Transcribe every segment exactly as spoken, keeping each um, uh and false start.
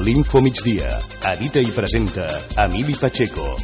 L'Info Migdia. Edita i presenta Emili Pacheco.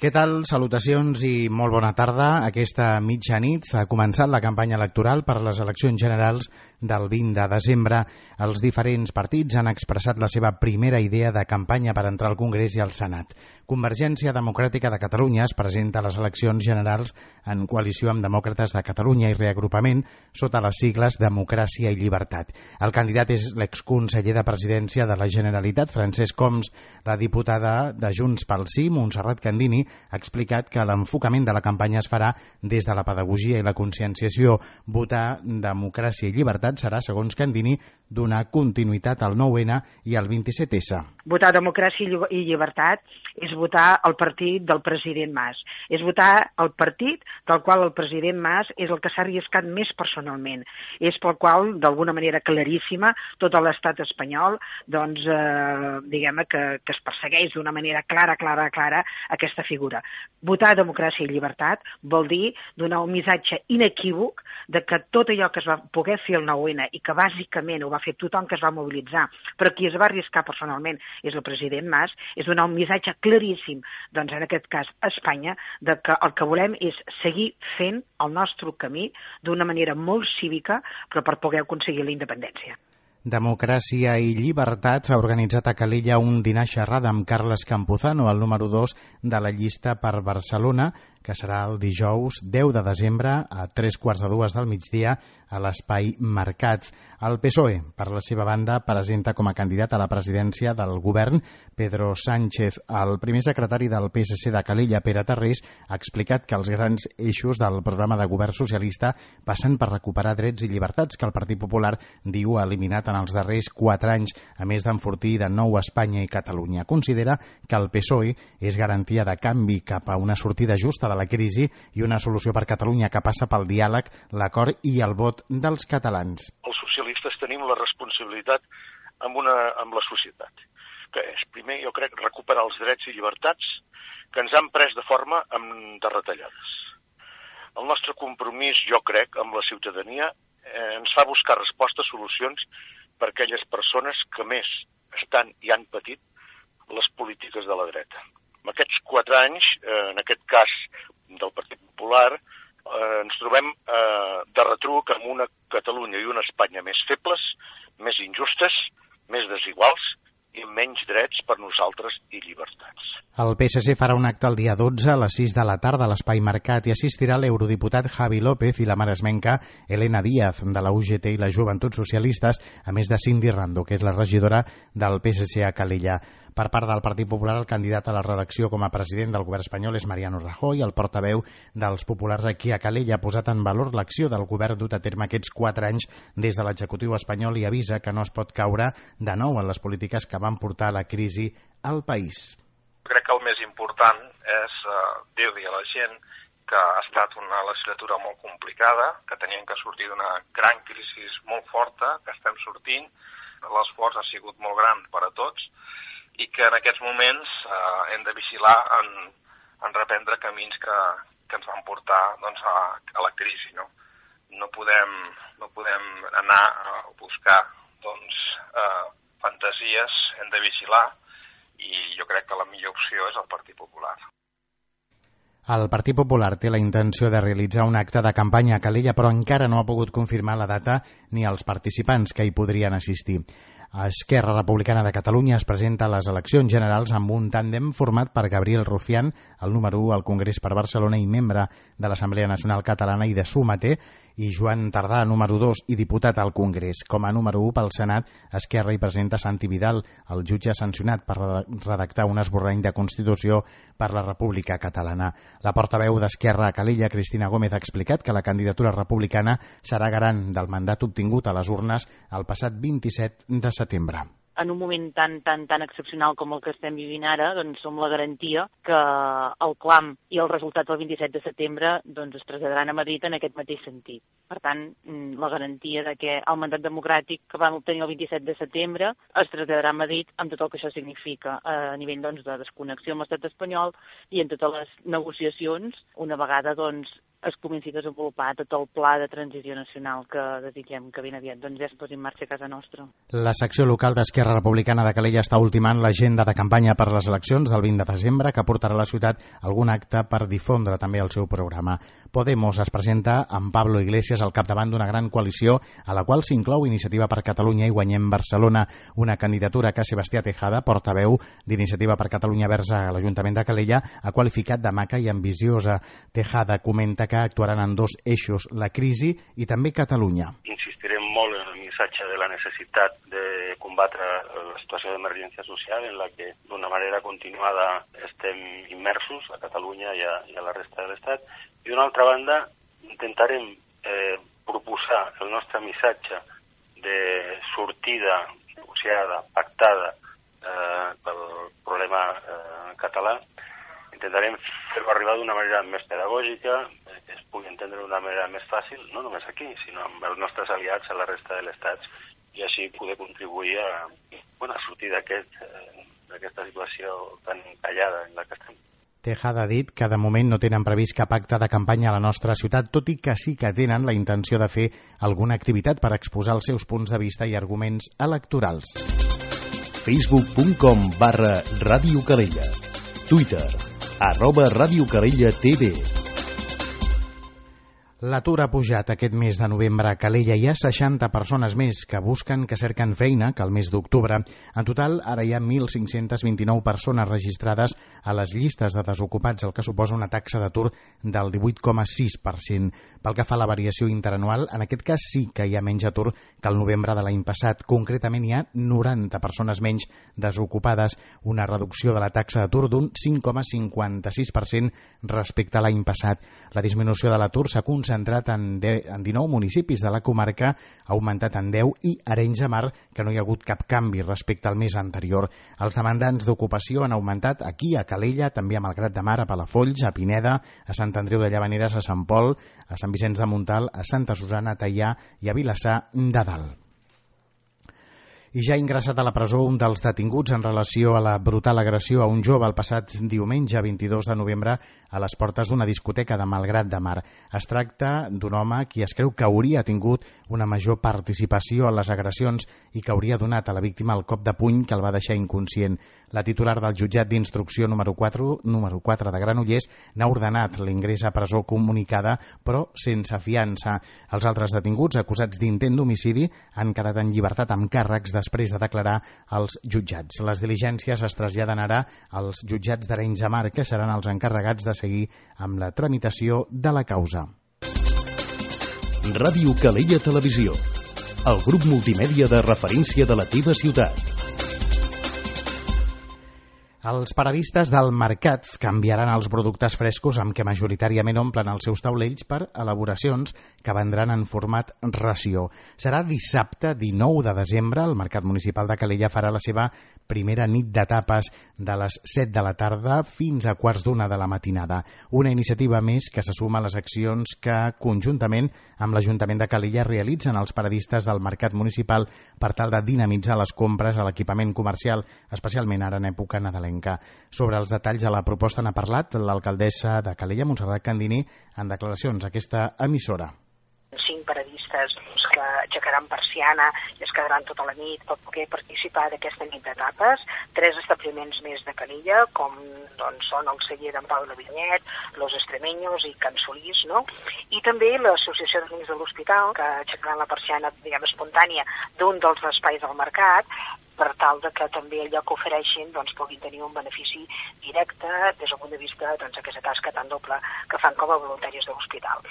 Què tal? Salutacions i molt bona tarda. Aquesta mitjanit ha començat la campanya electoral per a les eleccions generals del vint de desembre. Els diferents partits han expressat la seva primera idea de campanya per entrar al Congrés i al Senat. Convergència Democràtica de Catalunya es presenta a les eleccions generals en coalició amb Demòcrates de Catalunya i Reagrupament sota les sigles Democràcia i Llibertat. El candidat és l'exconseller de Presidència de la Generalitat, Francesc Homs. La diputada de Junts pel Sí, Montserrat Candini, ha explicat que l'enfocament de la campanya es farà des de la pedagogia i la conscienciació. Votar Democràcia i Llibertat serà, segons Candini, donar continuïtat al nou ene i al vint-i-set esse. Votar Democràcia i Llibertat és votar el partit del president Mas. És votar el partit del qual el president Mas és el que s'ha arriscat més personalment. És pel qual, d'alguna manera claríssima, tot l'estat espanyol, doncs, eh, diguem que, que es persegueix d'una manera clara, clara, clara aquesta figura. Votar Democràcia i Llibertat vol dir donar un missatge inequívoc de que tot allò que es va poder fer el nou ene i que bàsicament ho va fer tothom que es va mobilitzar, però qui es va arriscar personalment és el president Mas, és donar un missatge claríssim, doncs en aquest cas a Espanya, de que el que volem és seguir fent el nostre camí d'una manera molt cívica, però per poder aconseguir la independència. Democràcia i Llibertat ha organitzat a Calella un dinar xerrada amb Carles Campuzano, el número dos de la llista per Barcelona, que serà el dijous deu de desembre a tres quarts de dues del migdia a l'Espai Mercats. El P S O E, per la seva banda, presenta com a candidat a la presidència del govern Pedro Sánchez. El primer secretari del P S C de Calella, Pere Tarrés, ha explicat que els grans eixos del programa de govern socialista passen per recuperar drets i llibertats que el Partit Popular diu ha eliminat en els darrers quatre anys, a més d'enfortir de nou Espanya i Catalunya. Considera que el P S O E és garantia de canvi cap a una sortida justa de la crisi i una solució per Catalunya que passa pel diàleg, l'acord i el vot dels catalans. Els socialistes tenim la responsabilitat amb, una, amb la societat, que és, primer, jo crec, recuperar els drets i llibertats que ens han pres de forma amb, de retallades. El nostre compromís, jo crec, amb la ciutadania eh, ens fa buscar respostes, solucions per a aquelles persones que més estan i han patit les polítiques de la dreta. En aquests quatre anys, eh, en aquest cas del Partit Popular, eh, ens trobem eh, de retruc amb una Catalunya i una Espanya més febles, més injustes, més desiguals i amb menys drets per nosaltres i llibertats. El P S C farà un acte el dia dotze a les sis de la tarda a l'Espai Mercat i assistirà l'eurodiputat Javi López i la maresmenca Elena Díaz de la U G T i les Joventuts Socialistes, a més de Cindy Rando, que és la regidora del P S C a Calella. Per part del Partit Popular, el candidat a la reelecció com a president del govern espanyol és Mariano Rajoy. El portaveu dels populars aquí a Calella ha posat en valor l'acció del govern dut a terme aquests quatre anys des de l'executiu espanyol i avisa que no es pot caure de nou en les polítiques que van portar la crisi al país. Crec que el més important és uh, dir-li a la gent que ha estat una legislatura molt complicada, que teníem que sortir d'una gran crisi molt forta, que estem sortint, l'esforç ha sigut molt gran per a tots, i que en aquests moments eh, hem de vigilar en, en reprendre camins que, que ens van portar doncs, a, a la crisi. No, no, podem, no podem anar a buscar doncs, eh, fantasies, hem de vigilar i jo crec que la millor opció és el Partit Popular. El Partit Popular té la intenció de realitzar un acte de campanya a Calella, però encara no ha pogut confirmar la data ni els participants que hi podrien assistir. Esquerra Republicana de Catalunya es presenta a les eleccions generals amb un tàndem format per Gabriel Rufián, el número u al Congrés per Barcelona i membre de l'Assemblea Nacional Catalana i de Sumater, i Joan Tardà, número dos i diputat al Congrés. Com a número u pel Senat, Esquerra hi presenta Santi Vidal, el jutge sancionat per redactar un esborrany de Constitució per la República Catalana. La portaveu d'Esquerra a Calella, Cristina Gómez, ha explicat que la candidatura republicana serà garant del mandat obtingut a les urnes el passat vint-i-set de setembre. En un moment tan, tan, tan excepcional com el que estem vivint ara, doncs som la garantia que el clam i el resultat del vint-i-set de setembre doncs, es traslladaran a Madrid en aquest mateix sentit. Per tant, la garantia de que el mandat democràtic que vam obtenir el vint-i-set de setembre es traslladarà a Madrid amb tot el que això significa a nivell doncs, de desconnexió amb l'estat espanyol i en totes les negociacions, una vegada doncs, es comenci a desenvolupar tot el pla de transició nacional que desitgem que ben aviat doncs, ja es posi en marxa a casa nostra. La secció local d'Esquerra Republicana de Calella està ultimant l'agenda de campanya per les eleccions del vint de desembre, que portarà a la ciutat algun acte per difondre també el seu programa. Podemos es presenta amb Pablo Iglesias al capdavant d'una gran coalició a la qual s'inclou Iniciativa per Catalunya i Guanyem Barcelona, una candidatura que Sebastià Tejada, portaveu d'Iniciativa per Catalunya Verds a l'Ajuntament de Calella, ha qualificat de maca i ambiciosa. Tejada comenta que actuaran en dos eixos, la crisi i també Catalunya. Insistirem molt en el missatge de la necessitat de combatre la situació d'emergència social en la que d'una manera continuada estem immersos a Catalunya i a, i a la resta de l'Estat. I d'una altra banda intentarem eh, proposar el nostre missatge de sortida negociada, pactada eh, pel problema eh, català. Intentarem fer-ho arribar d'una manera més pedagògica, eh, que es pugui entendre d'una manera més fàcil, no només aquí, sinó amb els nostres aliats a la resta de l'Estat, i així poder contribuir a, bueno, a sortir d'aquest, eh, d'aquesta situació tan encallada en la que estem. Tejada ha dit que de moment no tenen previst cap acte de campanya a la nostra ciutat, tot i que sí que tenen la intenció de fer alguna activitat per exposar els seus punts de vista i arguments electorals. facebook punt com barra Ràdio Calella. Twitter, arroba Ràdio Calella T V. L'atur ha pujat aquest mes de novembre a Calella. Hi ha seixanta persones més que busquen, que cerquen feina, que el mes d'octubre. En total, ara hi ha mil cinc-cents vint-i-nou persones registrades a les llistes de desocupats, el que suposa una taxa d'atur del divuit coma sis per cent. Pel que fa a la variació interanual, en aquest cas sí que hi ha menys atur que el novembre de l'any passat. Concretament hi ha noranta persones menys desocupades, una reducció de la taxa d'atur d'un cinc coma cinquanta sis per cent respecte a l'any passat. La disminució de l'atur s'ha concentrat en, de, en dinou municipis de la comarca, ha augmentat en deu, i Arenys de Mar, que no hi ha hagut cap canvi respecte al mes anterior. Els demandants d'ocupació han augmentat aquí, a Calella, també a Malgrat de Mar, a Palafolls, a Pineda, a Sant Andreu de Llavaneres, a Sant Pol, a Sant Vicenç de Montalt, a Santa Susana, a Teià i a Vilassar de Dalt. I ja ha ingressat a la presó un dels detinguts en relació a la brutal agressió a un jove el passat diumenge vint-i-dos de novembre a les portes d'una discoteca de Malgrat de Mar. Es tracta d'un home qui es creu que hauria tingut una major participació en les agressions i que hauria donat a la víctima el cop de puny que el va deixar inconscient. La titular del jutjat d'instrucció número quatre, número quatre de Granollers n'ha ordenat l'ingrés a presó comunicada, però sense fiança. Els altres detinguts, acusats d'intent d'homicidi, han quedat en llibertat amb càrrecs després de declarar als jutjats. Les diligències es traslladen ara als jutjats d'Arenys de Mar, que seran els encarregats de seguir amb la tramitació de la causa. Ràdio Calella Televisió, el grup multimèdia de referència de la teva ciutat. Els paradistes del mercat canviaran els productes frescos amb què majoritàriament omplen els seus taulells per elaboracions que vendran en format ració. Serà dissabte dinou de desembre. El Mercat Municipal de Calella farà la seva primera nit de tapes de les set de la tarda fins a quarts d'una de la matinada. Una iniciativa més que se suma a les accions que conjuntament amb l'Ajuntament de Calella realitzen els paradistes del Mercat Municipal per tal de dinamitzar les compres a l'equipament comercial, especialment ara en època nadalenca. Sobre els detalls de la proposta n'ha parlat l'alcaldessa de Calella, Montserrat Candini, en declaracions a aquesta emissora. Cinc paradistes que aixecaran persiana i es quedaran tota la nit per poder participar d'aquesta nit de tapes. Tres establiments més de Calella, com doncs, són el celler d'en Pau de Vinyet, Los Extremeños i Can Solís, no? I també l'Associació d'Amics de l'Hospital, que aixecaran la persiana, diguem, espontània d'un dels espais del mercat, per tal de que també allò que ofereixin doncs, puguin tenir un benefici directe des del punt de vista doncs, d'aquesta tasca tan doble que fan com a voluntaris de l'hospital.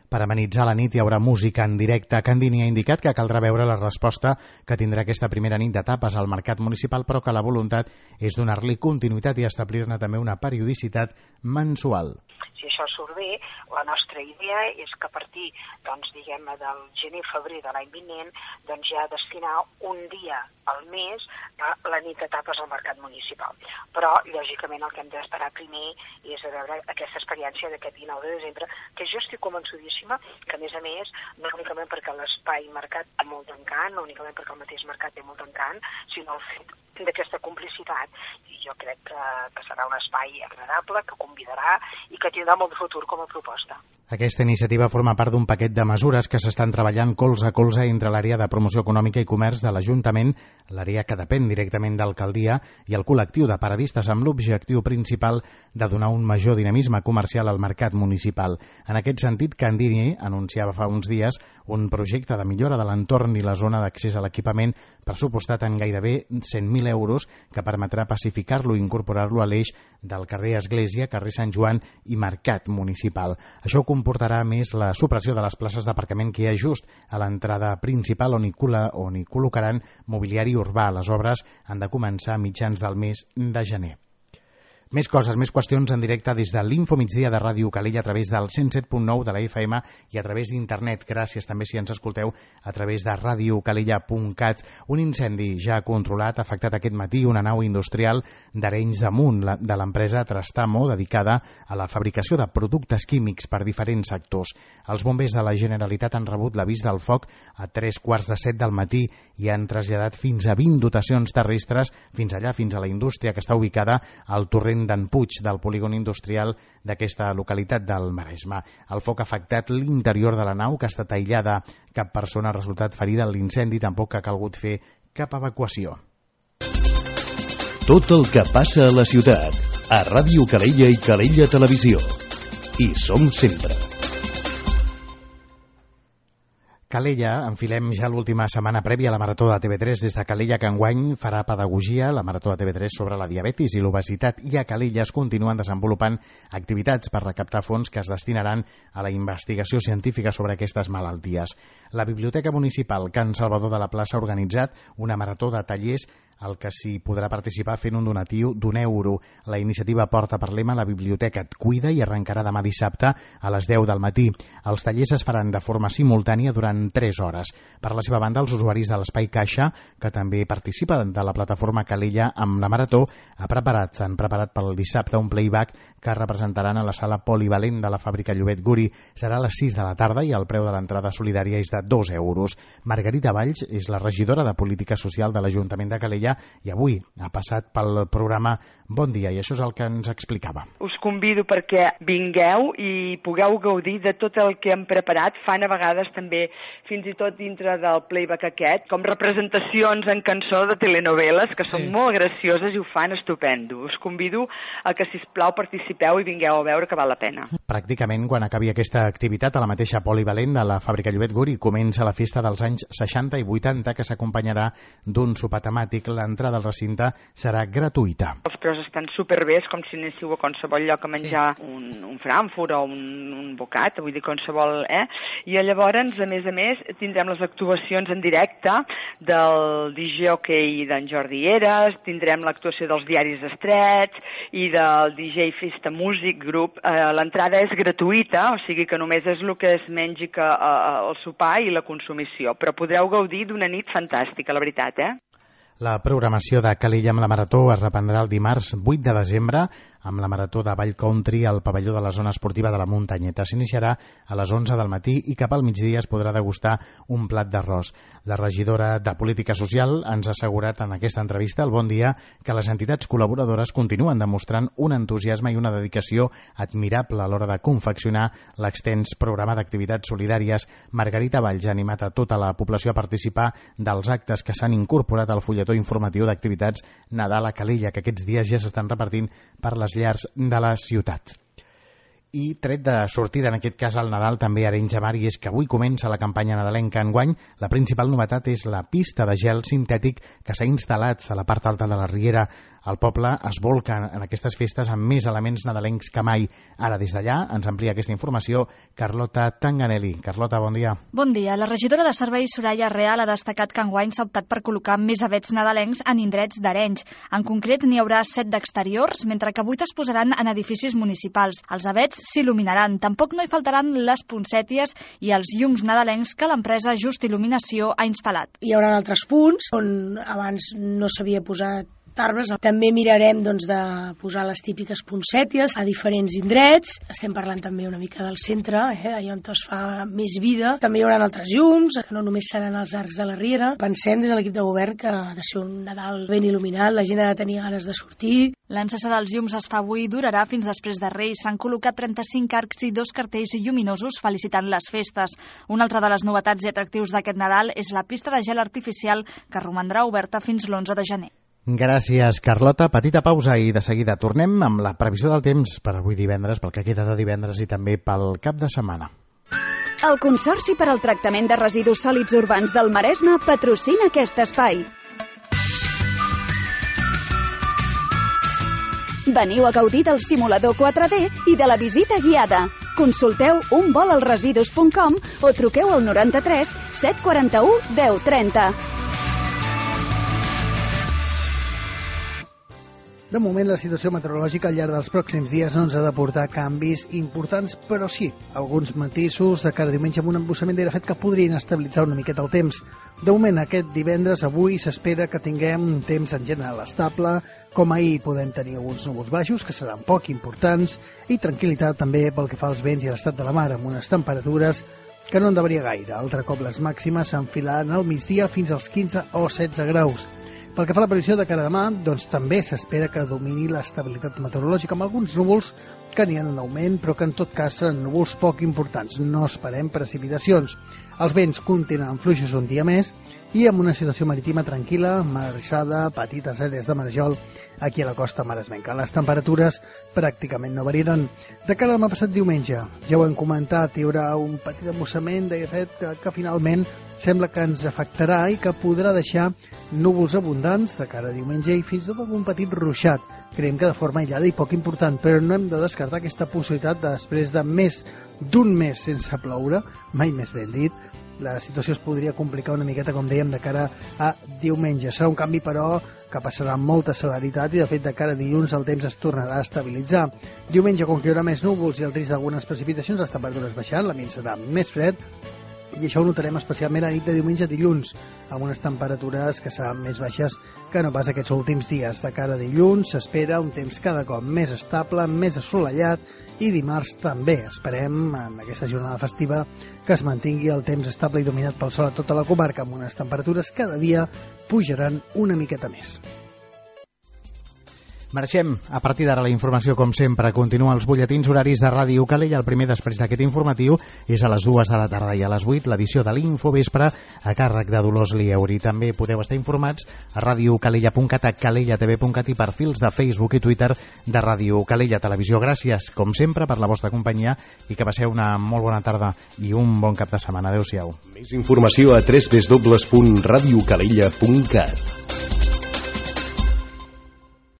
Per amenitzar la nit hi haurà música en directe. Candini ha indicat que caldrà veure la resposta que tindrà aquesta primera nit de tapes al mercat municipal, però que la voluntat és donar-li continuïtat i establir-ne també una periodicitat mensual. Si això surt bé, la nostra idea és que a partir, doncs, diguem-ne, del gener-febrer de l'any vinent, doncs ja destinar un dia al mes a la nit de tapes al mercat municipal. Però, lògicament, el que hem d'esperar primer és a veure aquesta experiència d'aquest dinou de desembre, que jo estic convençudíssima importantíssima, que a més a més, no únicament perquè l'espai mercat té molt d'encant, no únicament perquè el mateix mercat té molt d'encant, sinó el fet d'aquesta complicitat. I jo crec que, que serà un espai agradable, que convidarà i que tindrà molt de futur com a proposta. Aquesta iniciativa forma part d'un paquet de mesures que s'estan treballant colze a colze entre l'àrea de promoció econòmica i comerç de l'Ajuntament, l'àrea que depèn directament d'alcaldia, i el col·lectiu de paradistes amb l'objectiu principal de donar un major dinamisme comercial al mercat municipal. En aquest sentit, Candini anunciava fa uns dies un projecte de millora de l'entorn i la zona d'accés a l'equipament pressupostat en gairebé cent mil euros que permetrà pacificar-lo i incorporar-lo a l'eix del carrer Església, carrer Sant Joan i Mercat Municipal. Això comportarà més la supressió de les places d'aparcament que hi ha just a l'entrada principal on hi, col·la, on hi col·locaran mobiliari urbà. Les obres han de començar a mitjans del mes de gener. Més coses, més qüestions en directe des de l'Info Migdia de Ràdio Calella a través del cent set punt nou de la F M i a través d'internet. Gràcies també si ens escolteu a través de radio calella punt cat. Un incendi ja controlat ha afectat aquest matí una nau industrial d'Arenys de Munt de l'empresa Trastamo, dedicada a la fabricació de productes químics per diferents sectors. Els bombers de la Generalitat han rebut l'avís del foc a tres quarts de set del matí i han traslladat fins a vint dotacions terrestres fins allà, fins a la indústria que està ubicada al torrent d'en Puig, del polígon industrial d'aquesta localitat del Maresme. El foc ha afectat l'interior de la nau, que ha estat aïllada. Cap persona ha resultat ferida en l'incendi, tampoc ha calgut fer cap evacuació. Tot el que passa a la ciutat, a Ràdio Calella i Calella Televisió. Hi som sempre. Calella, enfilem ja l'última setmana prèvia a la Marató de T V tres des de Calella, que enguany farà pedagogia, la Marató de T V tres sobre la diabetis i l'obesitat, i a Calella es continuen desenvolupant activitats per recaptar fons que es destinaran a la investigació científica sobre aquestes malalties. La Biblioteca Municipal Can Salvador de la Plaça ha organitzat una marató de tallers al que s'hi podrà participar fent un donatiu d'un euro. La iniciativa porta per lema La biblioteca et cuida i arrencarà demà dissabte a les deu del matí. Els tallers es faran de forma simultània durant tres hores. Per la seva banda, els usuaris de l'Espai Caixa, que també participen de la plataforma Calella amb la Marató, ha preparat, han preparat pel dissabte un playback que representaran a la sala polivalent de la fàbrica Llobet Guri. Serà a les sis de la tarda i el preu de l'entrada solidària és de dos euros. Margarita Valls és la regidora de Política Social de l'Ajuntament de Calella i avui ha passat pel programa Bon Dia, i això és el que ens explicava. Us convido perquè vingueu i pugueu gaudir de tot el que hem preparat. Fan a vegades també, fins i tot dintre del playback aquest, com representacions en cançó de telenovel·les, que són sí. molt gracioses i ho fan estupendo. Us convido a que, sisplau, participeu i vingueu a veure que val la pena. Pràcticament, quan acabi aquesta activitat, a la mateixa polivalent de la fàbrica Llobet Guri comença la festa dels anys seixanta i vuitanta, que s'acompanyarà d'un sopar temàtic. L'entrada al recinte serà gratuïta. Els preus estan superbé, és com si anéssiu a qualsevol lloc a menjar sí. un, un frankfurt o un, un bocat, vull dir qualsevol, eh? I llavors, a més a més, tindrem les actuacions en directe del D J Hockey d'en Jordi Eres, tindrem l'actuació dels diaris estrets i del D J Festa Music Group. Eh, l'entrada és gratuïta, o sigui que només és el que es mengi que, eh, el sopar i la consumició, però podreu gaudir d'una nit fantàstica, la veritat, eh? La programació de Calella amb la Marató es reprendrà el dimarts vuit de desembre amb la Marató de Vall Country al pavelló de la zona esportiva de la Muntanyeta. S'iniciarà a les onze del matí i cap al migdia es podrà degustar un plat d'arròs. La regidora de Política Social ens ha assegurat en aquesta entrevista al Bon Dia que les entitats col·laboradores continuen demostrant un entusiasme i una dedicació admirable a l'hora de confeccionar l'extens programa d'activitats solidàries. Margarita Valls ha animat a tota la població a participar dels actes que s'han incorporat al fulletó informatiu d'activitats Nadal a Calella, que aquests dies ja s'estan repartint per les llars de la ciutat. I tret de sortida, en aquest cas al Nadal, també a Arenys de Mar, i és que avui comença la campanya nadalenca enguany. La principal novetat és la pista de gel sintètic que s'ha instal·lat a la part alta de la Riera. El poble es volca en aquestes festes amb més elements nadalencs que mai. Ara, des d'allà, ens amplia aquesta informació Carlota Tanganelli. Carlota, bon dia. Bon dia. La regidora de Serveis, Soraya Real, ha destacat que enguany s'ha optat per col·locar més avets nadalencs en indrets d'Arenys. En concret, n'hi haurà set d'exteriors, mentre que vuit es posaran en edificis municipals. Els avets s'il·luminaran. Tampoc no hi faltaran les poncèties i els llums nadalencs que l'empresa Just Il·luminació ha instal·lat. Hi haurà altres punts on abans no s'havia posat arbres. També mirarem doncs, de posar les típiques poncèties a diferents indrets. Estem parlant també una mica del centre, eh, allà on es fa més vida. També hi haurà altres llums, que no només seran els arcs de la Riera. Pensem des de l'equip de govern que ha de ser un Nadal ben il·luminat, la gent ha de tenir ganes de sortir. L'encesa dels llums es fa avui i durarà fins després de Reis. S'han col·locat trenta-cinc arcs i dos cartells lluminosos felicitant les festes. Una altra de les novetats i atractius d'aquest Nadal és la pista de gel artificial que romandrà oberta fins l'onze de gener. Gràcies, Carlota. Petita pausa i de seguida tornem amb la previsió del temps per avui divendres, pel que queda de divendres i també pel cap de setmana. El Consorci per al Tractament de Residus Sòlids Urbans del Maresme patrocina aquest espai. Veniu a gaudir del simulador quatre D i de la visita guiada. Consulteu un vol als residus punt com o truqueu al noranta-tres set quaranta-u deu trenta. De moment, la situació meteorològica al llarg dels pròxims dies no ens ha de portar canvis importants, però sí, alguns matisos de cara a diumenge amb un embussament d'aire fet que podrien estabilitzar una miqueta el temps. De moment, aquest divendres, avui, s'espera que tinguem un temps en general estable. Com ahir podem tenir alguns núvols baixos, que seran poc importants, i tranquil·litat també pel que fa als vents i a l'estat de la mar, amb unes temperatures que no han de variar gaire. Altre cop les màximes s'enfilaran al migdia fins als quinze o setze graus. Pel que fa a la previsió de cara a demà, doncs també s'espera que domini l'estabilitat meteorològica amb alguns núvols que n'hi ha un augment, però que en tot cas seran núvols poc importants. No esperem precipitacions. Els vents continuen fluixos un dia més i amb una situació marítima tranquil·la, mar arrissada, petites àrees de marejol aquí a la costa maresmenca. Les temperatures pràcticament no variaran. De cara a demà passat diumenge, ja ho hem comentat, hi haurà un petit embussament d'aire fred que, que finalment sembla que ens afectarà i que podrà deixar núvols abundants de cara a diumenge i fins i tot algun petit ruixat. Creiem que de forma aïllada i poc important, però no hem de descartar aquesta possibilitat de, després de més d'un mes sense ploure, mai més ben dit, la situació es podria complicar una miqueta, com dèiem, de cara a diumenge. Serà un canvi, però, que passarà amb molta celeritat i, de fet, de cara a dilluns el temps es tornarà a estabilitzar. Diumenge, com que hi haurà més núvols i el risc d'algunes precipitacions, les temperatures baixaran, l'ambient serà més fred, i això ho notarem especialment a nit de diumenge a dilluns, amb unes temperatures que seran més baixes que no pas aquests últims dies. De cara a dilluns s'espera un temps cada cop més estable, més assolellat, i dimarts també esperem, en aquesta jornada festiva, que es mantingui el temps estable i dominat pel sol a tota la comarca, amb unes temperatures cada dia pujaran una miqueta més. Marxem. A partir d'ara la informació, com sempre, continua als butlletins horaris de Ràdio Calella. El primer després d'aquest informatiu és a les dues de la tarda i a les vuit l'edició de l'Infovespre a càrrec de Dolors Lieuri. També podeu estar informats a radiocalella punt cat, a calella t v punt cat i perfils de Facebook i Twitter de Ràdio Calella Televisió. Gràcies, com sempre, per la vostra companyia i que passeu una molt bona tarda i un bon cap de setmana. Adéu-siau. Més informació a w w w punt radiocalella punt cat.